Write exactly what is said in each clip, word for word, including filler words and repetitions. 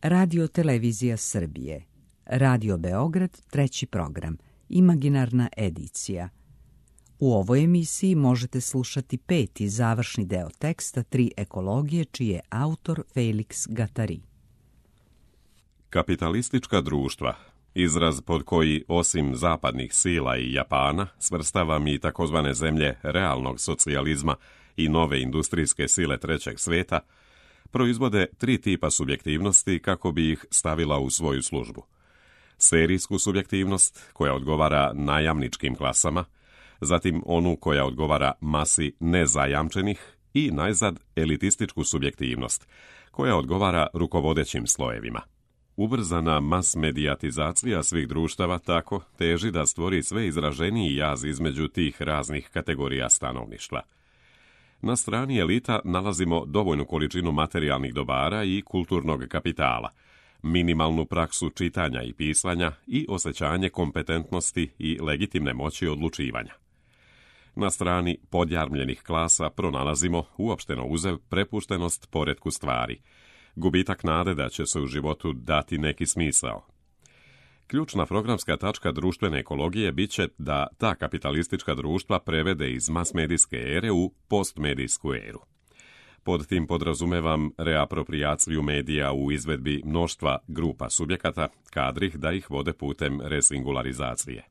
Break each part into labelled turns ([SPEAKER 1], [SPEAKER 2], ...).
[SPEAKER 1] Radio Televizija Srbije, Radio Beograd, treći program, imaginarna edicija. U ovoj emisiji možete slušati peti završni deo teksta Tri ekologije, čiji je autor Felix Gattari.
[SPEAKER 2] Kapitalistička društva, izraz pod koji, osim zapadnih sila i Japana, svrstavam i takozvane zemlje realnog socijalizma i nove industrijske sile trećeg sveta, proizvode tri tipa subjektivnosti kako bi ih stavila u svoju službu. Serijsku subjektivnost, koja odgovara najamničkim klasama, zatim onu koja odgovara masi nezajamčenih i najzad elitističku subjektivnost, koja odgovara rukovodećim slojevima. Ubrzana mas-medijatizacija svih društava tako teži da stvori sve izraženiji jaz između tih raznih kategorija stanovništva. Na strani elita nalazimo dovoljnu količinu materijalnih dobara i kulturnog kapitala, minimalnu praksu čitanja i pisanja i osjećanje kompetentnosti i legitimne moći odlučivanja. Na strani podjarmljenih klasa pronalazimo, uopšteno uzev, prepuštenost poretku stvari, gubitak nade da će se u životu dati neki smisao. Ključna programska tačka društvene ekologije biće da ta kapitalistička društva prevede iz mas-medijske ere u postmedijsku eru. Pod tim podrazumevam reaproprijaciju medija u izvedbi mnoštva grupa subjekata, kadrih da ih vode putem resingularizacije.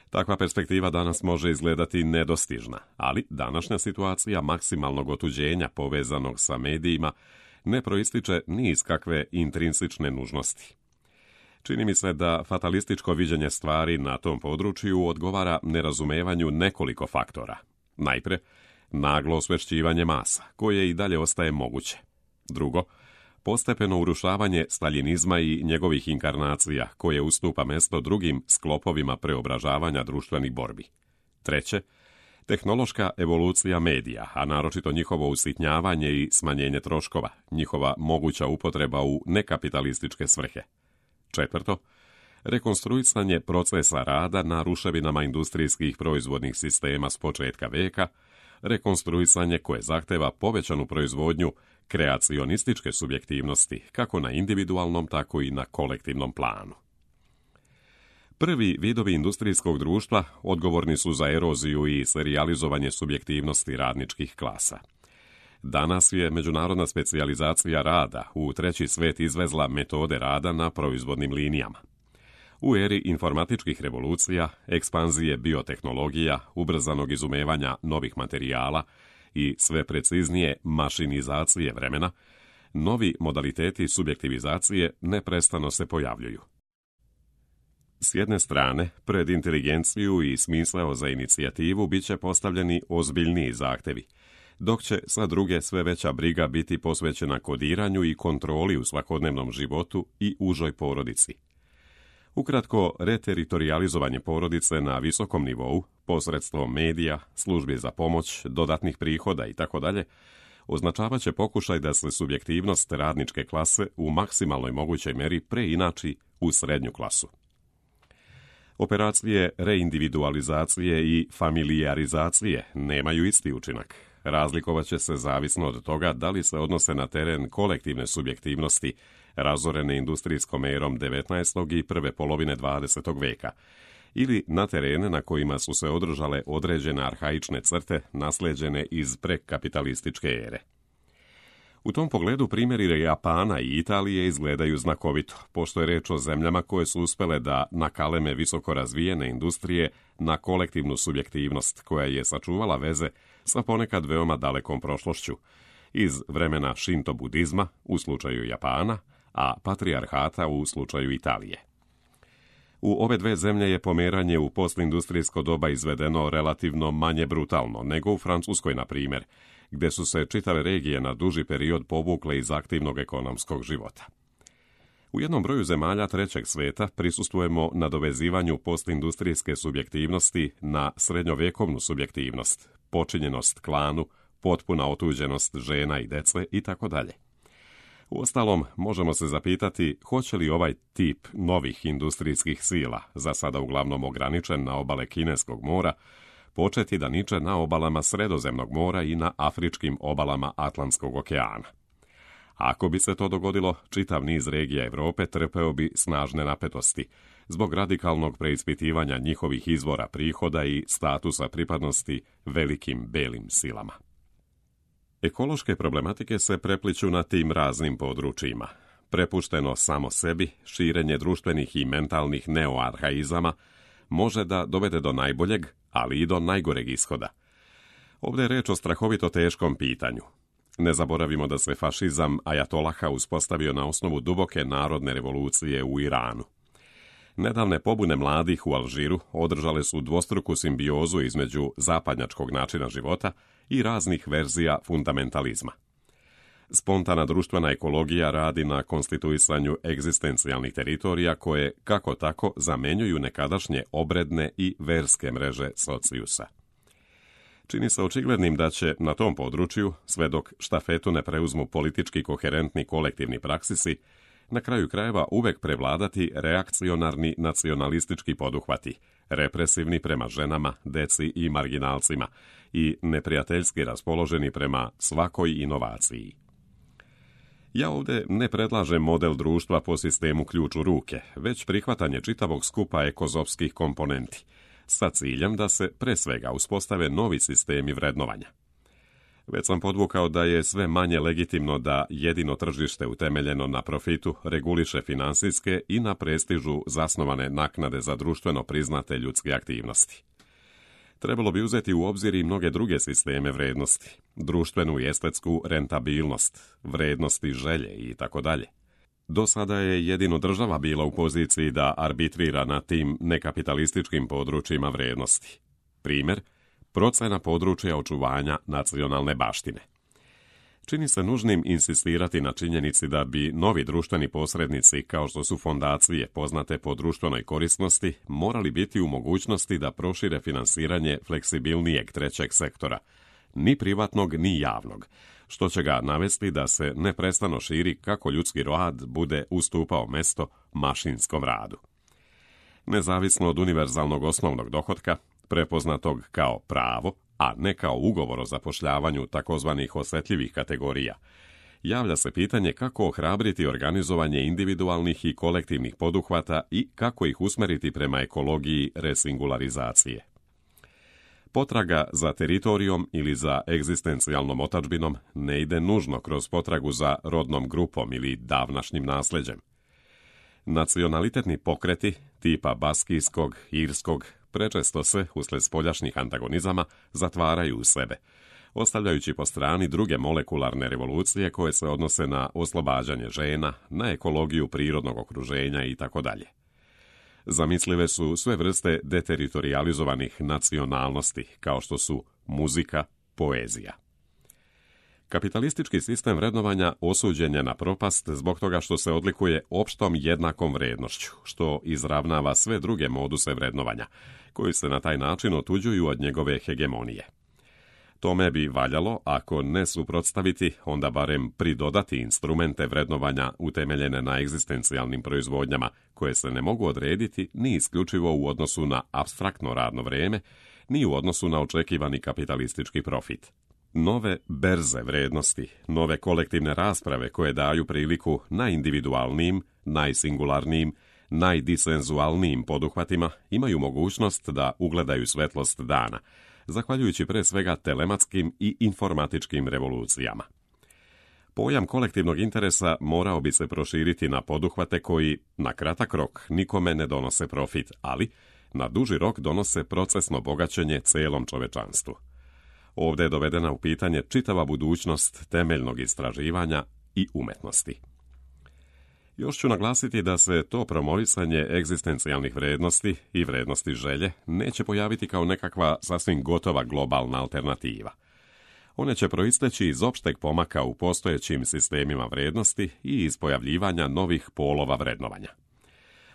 [SPEAKER 2] Takva perspektiva danas može izgledati nedostižna, ali današnja situacija maksimalnog otuđenja povezanog sa medijima ne proističe ni iz kakve intrinsične nužnosti. Čini mi se da fatalističko viđenje stvari na tom području odgovara nerazumevanju nekoliko faktora. Najpre, naglo osvešćivanje masa, koje i dalje ostaje moguće. Drugo, postepeno urušavanje staljinizma i njegovih inkarnacija, koje ustupa mesto drugim sklopovima preobražavanja društvenih borbi. Treće, tehnološka evolucija medija, a naročito njihovo usitnjavanje i smanjenje troškova, njihova moguća upotreba u nekapitalističke svrhe. Četvrto, rekonstruisanje procesa rada na ruševinama industrijskih proizvodnih sistema s početka veka, rekonstruisanje koje zahteva povećanu proizvodnju kreacionističke subjektivnosti, kako na individualnom, tako i na kolektivnom planu. Prvi vidovi industrijskog društva odgovorni su za eroziju i serijalizovanje subjektivnosti radničkih klasa. Danas je međunarodna specijalizacija rada u treći svet izvezla metode rada na proizvodnim linijama. U eri informatičkih revolucija, ekspanzije biotehnologija, ubrzanog izumevanja novih materijala i sve preciznije mašinizacije vremena, novi modaliteti subjektivizacije neprestano se pojavljuju. S jedne strane, pred inteligenciju i smisleo za inicijativu bit će postavljeni ozbiljniji zahtevi, dok će sa druge sve veća briga biti posvećena kodiranju i kontroli u svakodnevnom životu i užoj porodici. Ukratko, reteritorijalizovanje porodice na visokom nivou, posredstvom medija, službi za pomoć, dodatnih prihoda itd., označavat će pokušaj da se subjektivnost radničke klase u maksimalnoj mogućoj meri preinači u srednju klasu. Operacije reindividualizacije i familijarizacije nemaju isti učinak. Razlikovat će se zavisno od toga da li se odnose na teren kolektivne subjektivnosti razorene industrijskom erom devetnaestog i prve polovine dvadesetog veka, ili na terene na kojima su se održale određene arhaične crte naslijeđene iz prekapitalističke ere. U tom pogledu primjeri Japana i Italije izgledaju znakovito, pošto je reč o zemljama koje su uspele da nakaleme visoko razvijene industrije na kolektivnu subjektivnost koja je sačuvala veze sa ponekad veoma dalekom prošlošću, iz vremena šinto budizma u slučaju Japana, a patrijarhata u slučaju Italije. U ove dve zemlje je pomeranje u postindustrijsko doba izvedeno relativno manje brutalno nego u Francuskoj, na primjer, gde su se čitave regije na duži period povukle iz aktivnog ekonomskog života. U jednom broju zemalja trećeg sveta prisustvujemo nadovezivanju postindustrijske subjektivnosti na srednjovjekovnu subjektivnost, počinjenost klanu, potpuna otuđenost žena i dece itd. Uostalom, možemo se zapitati hoće li ovaj tip novih industrijskih sila, za sada uglavnom ograničen na obale Kineskog mora, početi da niče na obalama Sredozemnog mora i na afričkim obalama Atlantskog okeana. Ako bi se to dogodilo, čitav niz regija Europe trpeo bi snažne napetosti zbog radikalnog preispitivanja njihovih izvora prihoda i statusa pripadnosti velikim belim silama. Ekološke problematike se prepliću na tim raznim područjima. Prepušteno samo sebi, širenje društvenih i mentalnih neoarhaizama može da dovede do najboljeg, ali i do najgoreg ishoda. Ovdje je reč o strahovito teškom pitanju. Ne zaboravimo da se fašizam ajatolaha uspostavio na osnovu duboke narodne revolucije u Iranu. Nedavne pobune mladih u Alžiru održale su dvostruku simbiozu između zapadnjačkog načina života i raznih verzija fundamentalizma. Spontana društvena ekologija radi na konstituisanju egzistencijalnih teritorija koje, kako tako, zamenjuju nekadašnje obredne i verske mreže socijusa. Čini se očiglednim da će na tom području, sve dok štafetu ne preuzmu politički koherentni kolektivni praksisi, na kraju krajeva uvek prevladati reakcionarni nacionalistički poduhvati, represivni prema ženama, deci i marginalcima i neprijateljski raspoloženi prema svakoj inovaciji. Ja ovdje ne predlažem model društva po sistemu ključ u ruke, već prihvatanje čitavog skupa ekozopskih komponenti, sa ciljem da se pre svega uspostave novi sistemi vrednovanja. Već sam podvukao da je sve manje legitimno da jedino tržište utemeljeno na profitu reguliše finansijske i na prestižu zasnovane naknade za društveno priznate ljudske aktivnosti. Trebalo bi uzeti u obzir i mnoge druge sisteme vrednosti, društvenu i estetsku rentabilnost, vrednosti želje i tako dalje. Do sada je jedino država bila u poziciji da arbitrira na tim nekapitalističkim područjima vrednosti. Primjer, procena područja očuvanja nacionalne baštine. Čini se nužnim insistirati na činjenici da bi novi društveni posrednici, kao što su fondacije poznate po društvenoj korisnosti, morali biti u mogućnosti da prošire finansiranje fleksibilnijeg trećeg sektora, ni privatnog ni javnog, što će ga navesti da se neprestano širi kako ljudski rad bude ustupao mesto mašinskom radu. Nezavisno od univerzalnog osnovnog dohotka, prepoznatog kao pravo, a ne kao ugovor o zapošljavanju takozvanih osjetljivih kategorija, javlja se pitanje kako ohrabriti organizovanje individualnih i kolektivnih poduhvata i kako ih usmeriti prema ekologiji resingularizacije. Potraga za teritorijom ili za egzistencijalnom otadžbinom ne ide nužno kroz potragu za rodnom grupom ili davnašnjim nasljeđem. Nacionalitetni pokreti, tipa baskijskog, irskog, prečesto se, usled spoljašnjih antagonizama, zatvaraju u sebe, ostavljajući po strani druge molekularne revolucije koje se odnose na oslobađanje žena, na ekologiju prirodnog okruženja itd. Zamislive su sve vrste deteritorijalizovanih nacionalnosti, kao što su muzika, poezija. Kapitalistički sistem vrednovanja osuđen je na propast zbog toga što se odlikuje opštom jednakom vrednošću, što izravnava sve druge moduse vrednovanja, koji se na taj način otuđuju od njegove hegemonije. Tome bi valjalo, ako ne suprotstaviti, onda barem pridodati instrumente vrednovanja utemeljene na egzistencijalnim proizvodnjama, koje se ne mogu odrediti ni isključivo u odnosu na apstraktno radno vrijeme, ni u odnosu na očekivani kapitalistički profit. Nove berze vrednosti, nove kolektivne rasprave koje daju priliku najindividualnijim, najsingularnijim, najdisenzualnijim poduhvatima imaju mogućnost da ugledaju svetlost dana, zahvaljujući pre svega telematskim i informatičkim revolucijama. Pojam kolektivnog interesa morao bi se proširiti na poduhvate koji na kratak rok nikome ne donose profit, ali na duži rok donose procesno bogaćenje celom čovečanstvu. Ovdje je dovedena u pitanje čitava budućnost temeljnog istraživanja i umetnosti. Još ću naglasiti da se to promovisanje egzistencijalnih vrednosti i vrednosti želje neće pojaviti kao nekakva sasvim gotova globalna alternativa. One će proisteći iz opšteg pomaka u postojećim sistemima vrednosti i iz pojavljivanja novih polova vrednovanja.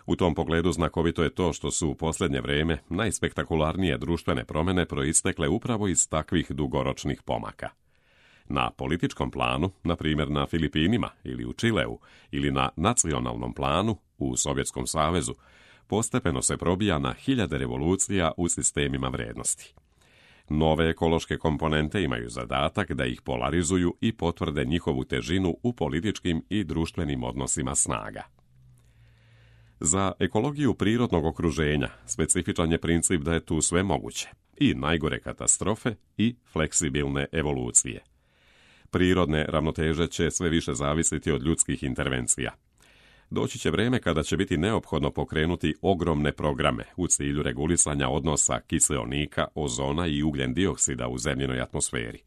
[SPEAKER 2] U tom pogledu znakovito je to što su u posljednje vrijeme najspektakularnije društvene promjene proistekle upravo iz takvih dugoročnih pomaka. Na političkom planu, na primjer na Filipinima ili u Čileu, ili na nacionalnom planu u Sovjetskom savezu, postepeno se probija na hiljade revolucija u sistemima vrednosti. Nove ekološke komponente imaju zadatak da ih polarizuju i potvrde njihovu težinu u političkim i društvenim odnosima snaga. Za ekologiju prirodnog okruženja specifičan je princip da je tu sve moguće, i najgore katastrofe i fleksibilne evolucije. Prirodne ravnoteže će sve više zavisiti od ljudskih intervencija. Doći će vrijeme kada će biti neophodno pokrenuti ogromne programe u cilju regulisanja odnosa kiseonika, ozona i ugljen dioksida u zemljinoj atmosferi.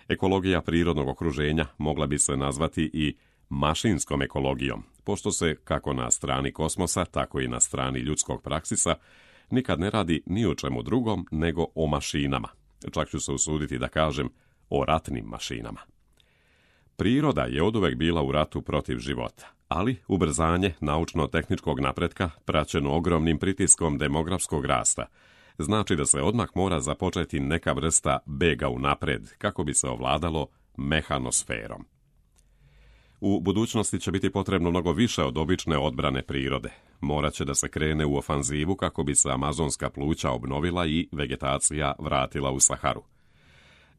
[SPEAKER 2] Ekologija prirodnog okruženja mogla bi se nazvati i mašinskom ekologijom, pošto se, kako na strani kosmosa, tako i na strani ljudskog praksisa, nikad ne radi ni o čemu drugom nego o mašinama. Čak ću se usuditi da kažem o ratnim mašinama. Priroda je oduvek bila u ratu protiv života, ali ubrzanje naučno-tehničkog napretka, praćeno ogromnim pritiskom demografskog rasta, znači da se odmah mora započeti neka vrsta bega unapred kako bi se ovladalo mehanosferom. U budućnosti će biti potrebno mnogo više od obične odbrane prirode. Morat će da se krene u ofanzivu kako bi se amazonska pluća obnovila i vegetacija vratila u Saharu.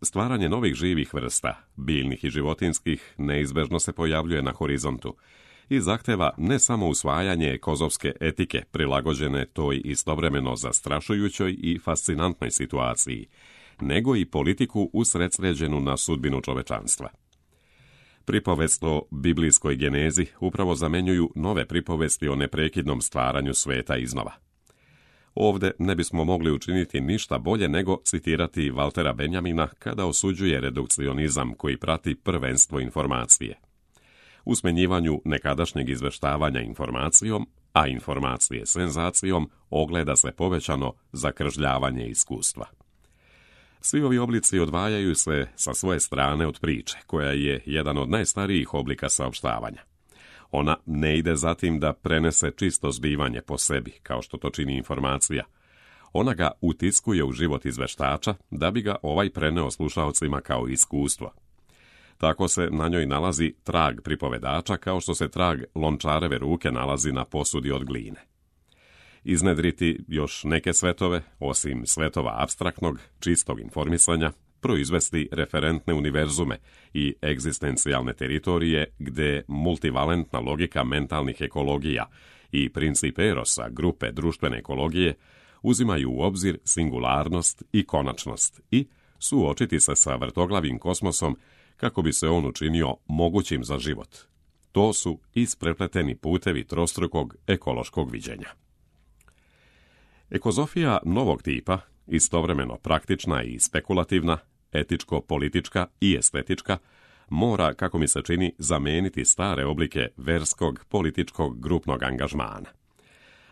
[SPEAKER 2] Stvaranje novih živih vrsta, biljnih i životinskih, neizbežno se pojavljuje na horizontu i zahteva ne samo usvajanje ekozofske etike prilagođene toj istovremeno zastrašujućoj i fascinantnoj situaciji, nego i politiku usredsređenu na sudbinu čovečanstva. Pripovest o biblijskoj genezi upravo zamenjuju nove pripovesti o neprekidnom stvaranju sveta iznova. Ovde ne bismo mogli učiniti ništa bolje nego citirati Valtera Benjamina kada osuđuje redukcionizam koji prati prvenstvo informacije. U smenjivanju nekadašnjeg izveštavanja informacijom, a informacije senzacijom, ogleda se povećano zakržljavanje iskustva. Svi ovi oblici odvajaju se sa svoje strane od priče, koja je jedan od najstarijih oblika saopštavanja. Ona ne ide za tim da prenese čisto zbivanje po sebi, kao što to čini informacija. Ona ga utiskuje u život izveštača, da bi ga ovaj preneo slušaocima kao iskustvo. Tako se na njoj nalazi trag pripovedača, kao što se trag lončareve ruke nalazi na posudi od gline. Iznedriti još neke svetove, osim svetova apstraktnog, čistog informisanja, proizvesti referentne univerzume i egzistencijalne teritorije gde multivalentna logika mentalnih ekologija i princip erosa grupe društvene ekologije uzimaju u obzir singularnost i konačnost i suočiti se sa vrtoglavim kosmosom kako bi se on učinio mogućim za život. To su isprepleteni putevi trostrukog ekološkog viđenja. Ekozofija novog tipa, istovremeno praktična i spekulativna, etičko-politička i estetička, mora, kako mi se čini, zameniti stare oblike verskog, političkog, grupnog angažmana.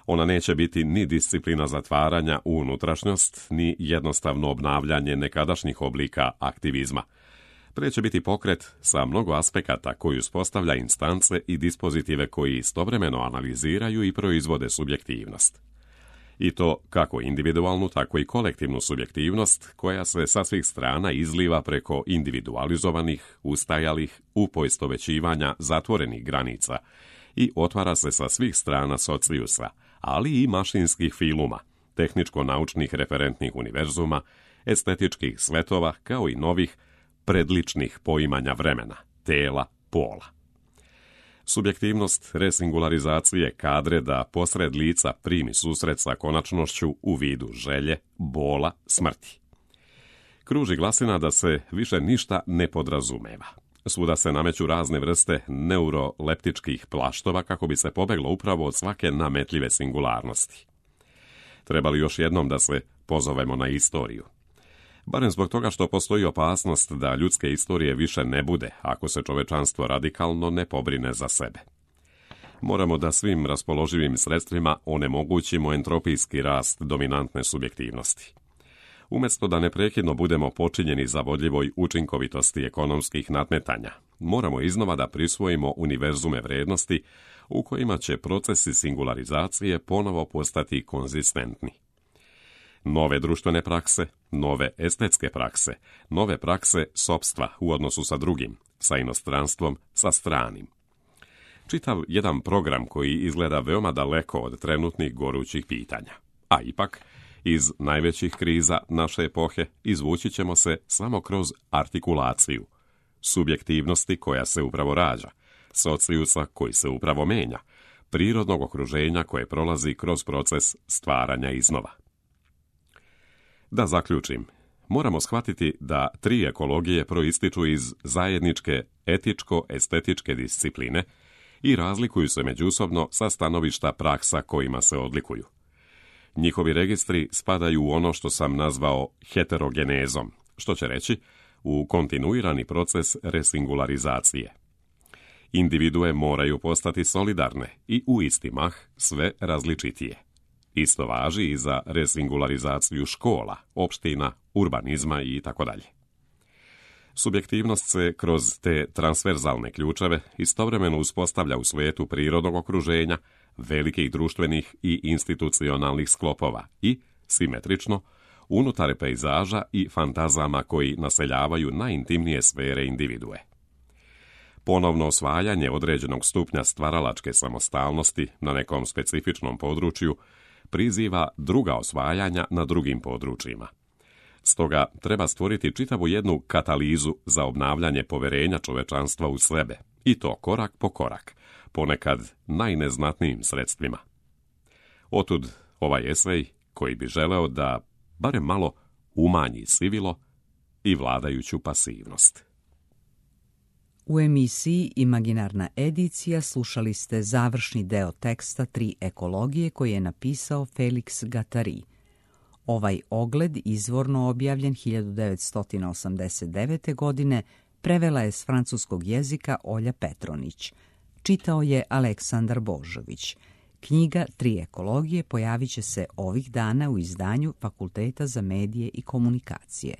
[SPEAKER 2] Ona neće biti ni disciplina zatvaranja u unutrašnjost, ni jednostavno obnavljanje nekadašnjih oblika aktivizma. Pre će biti pokret sa mnogo aspekata koji uspostavlja instance i dispozitive koji istovremeno analiziraju i proizvode subjektivnost. I to kako individualnu, tako i kolektivnu subjektivnost koja se sa svih strana izliva preko individualizovanih, ustajalih, upoistovećivanja zatvorenih granica i otvara se sa svih strana socijusa, ali i mašinskih filuma, tehničko-naučnih referentnih univerzuma, estetičkih svetova, kao i novih predličnih poimanja vremena, tela, pola. Subjektivnost resingularizacije kadre da posred lica primi susret sa konačnošću u vidu želje, bola, smrti. Kruži glasina da se više ništa ne podrazumeva. Svuda se nameću razne vrste neuroleptičkih plaštova kako bi se pobeglo upravo od svake nametljive singularnosti. Treba li još jednom da se pozovemo na istoriju? Barem zbog toga što postoji opasnost da ljudske istorije više ne bude ako se čovečanstvo radikalno ne pobrine za sebe. Moramo da svim raspoloživim sredstvima onemogućimo entropijski rast dominantne subjektivnosti. Umjesto da neprekidno budemo počinjeni zavodljivoj učinkovitosti ekonomskih nadmetanja, moramo iznova da prisvojimo univerzume vrednosti u kojima će procesi singularizacije ponovo postati konzistentni. Nove društvene prakse, nove estetske prakse, nove prakse sopstva u odnosu sa drugim, sa inostranstvom, sa stranim. Čitav jedan program koji izgleda veoma daleko od trenutnih gorućih pitanja, a ipak Iz najvećih kriza naše epohe izvući ćemo se samo kroz artikulaciju, subjektivnosti koja se upravo rađa, socijusa koji se upravo menja, prirodnog okruženja koje prolazi kroz proces stvaranja iznova. Da zaključim, moramo shvatiti da tri ekologije proističu iz zajedničke etičko-estetičke discipline i razlikuju se međusobno sa stanovišta praksa kojima se odlikuju. Njihovi registri spadaju u ono što sam nazvao heterogenezom, što će reći u kontinuirani proces resingularizacije. Individue moraju postati solidarne i u isti mah sve različitije. Isto važi i za resingularizaciju škola, opština, urbanizma i tako dalje. Subjektivnost se kroz te transverzalne ključeve istovremeno uspostavlja u svijetu prirodnog okruženja, velikih društvenih i institucionalnih sklopova i, simetrično, unutar pejzaža i fantazama koji naseljavaju najintimnije sfere individue. Ponovno osvajanje određenog stupnja stvaralačke samostalnosti na nekom specifičnom području priziva druga osvajanja na drugim područjima. Stoga treba stvoriti čitavu jednu katalizu za obnavljanje poverenja čovečanstva u sebe, i to korak po korak, ponekad najneznatnijim sredstvima. Otud ovaj esej koji bi želeo da barem malo umanji sivilo i vladajuću pasivnost.
[SPEAKER 1] U emisiji Imaginarna edicija slušali ste završni deo teksta Tri ekologije koji je napisao Felix Guattari. Ovaj ogled, izvorno objavljen hiljadu devetsto osamdeset devete. godine, prevela je s francuskog jezika Olja Petronić. Čitao je Aleksandar Božović. Knjiga Tri ekologije pojavit će se ovih dana u izdanju Fakulteta za medije i komunikacije.